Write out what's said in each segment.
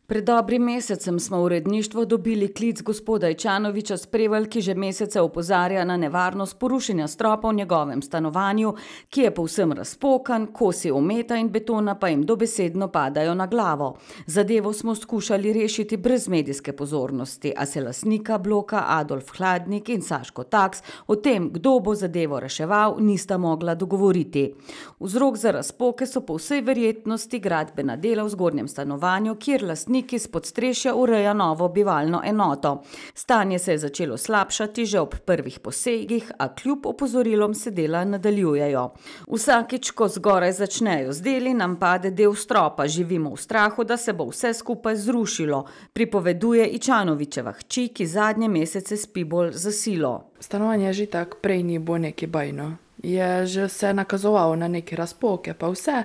Pred dobrim mesecem smo v uredništvo dobili klic gospoda Ičanoviča s Prevalj, ki že mesece opozarja na nevarnost porušenja stropa v njegovem stanovanju, ki je povsem razpokan, kosi ometa in betona pa jim dobesedno padajo na glavo. Zadevo smo skušali rešiti brez medijske pozornosti, a se lastnika bloka Adolf Hladnik in Saško Taks o tem, kdo bo zadevo reševal, nista mogla dogovoriti. Vzrok za razpoke so po vsej verjetnosti gradbena dela v zgornjem stanovanju, kjer lastnik iz podstrešja ureja novo bivalno enoto. Stanje se je začelo slabšati že ob prvih posegih, a kljub opozorilom se dela nadaljujejo. Vsakič, ko zgoraj začnejo z deli, nam pade del stropa, živimo v strahu, da se bo vse skupaj zrušilo, pripoveduje Ičanovičeva hči, ki zadnje mesece spi bolj za silo. Stanovanje že tak prej ni bilo neki bajno. Je že se nakazovalo na neke razpoke, pa vse.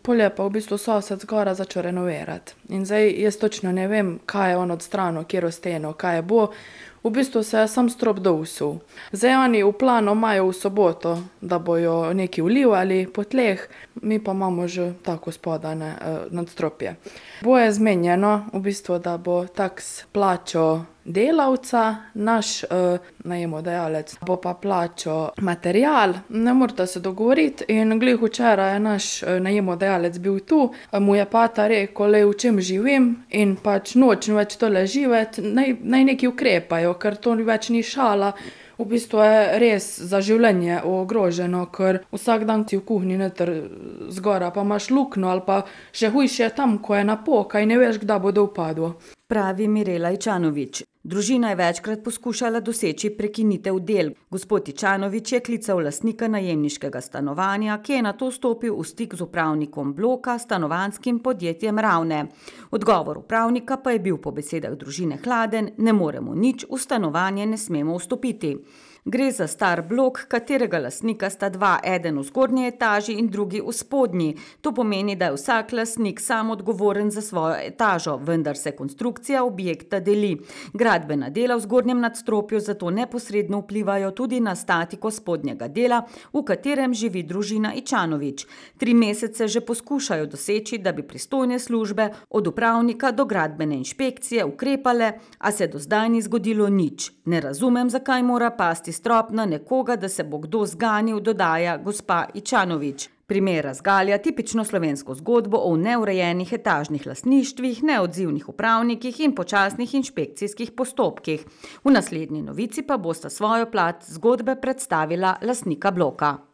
Polje pa v bistvu sosed zgora začel renovirati. In zdaj jaz točno ne vem, kaj je on odstranil, kjero steno, kaj je bo. V bistvu se je sam strop dousul. Zdaj oni v planu imajo v soboto, da bojo nekaj vlivali po tleh, mi pa imamo že tako spodane nadstropje. Bo je zmenjeno, v bistvu, da bo Taks plačal delavca, naš najemodajalec bo pa plačal material, ne morata se dogovoriti in glih včeraj je naš najemodajalec bil tu, mu je pata rekel, le v čem živim in pač nočem več tole živeti, naj neki ukrepajo, ker to več ni šala. V bistvu je res za življenje ogroženo, ker vsak dan si v kuhinji noter zgora, pa imaš luknjo ali pa še hujše je tam, ko je napoka in ne veš, kdaj bo dol padlo. Pravi Mirela Ičanovič. Družina je večkrat poskušala doseči prekinitev del. Gospod Ičanovič je klical lastnika najemniškega stanovanja, ki je nato stopil v stik z upravnikom bloka, stanovanjskim podjetjem Ravne. Odgovor upravnika pa je bil po besedah družine hladen: ne moremo nič, v stanovanje ne smemo vstopiti. Gre za star blok, katerega lastnika sta dva, eden v zgornji etaži in drugi v spodnji. To pomeni, da je vsak lastnik sam odgovoren za svojo etažo, vendar se konstrukcija objekta deli. Gradbena dela v zgornjem nadstropju zato neposredno vplivajo tudi na statiko spodnjega dela, v katerem živi družina Ičanovič. 3 mesece že poskušajo doseči, da bi pristojne službe od upravnika do gradbene inšpekcije ukrepale, a se do zdaj ni zgodilo nič. Ne razumem, zakaj mora pasti strop na nekoga, da se bo kdo zganil, dodaja gospa Ičanovič. Primer razgalja tipično slovensko zgodbo o neurejenih etažnih lastništvih, neodzivnih upravnikih in počasnih inšpekcijskih postopkih. V naslednji novici pa bosta svojo plat zgodbe predstavila lastnika bloka.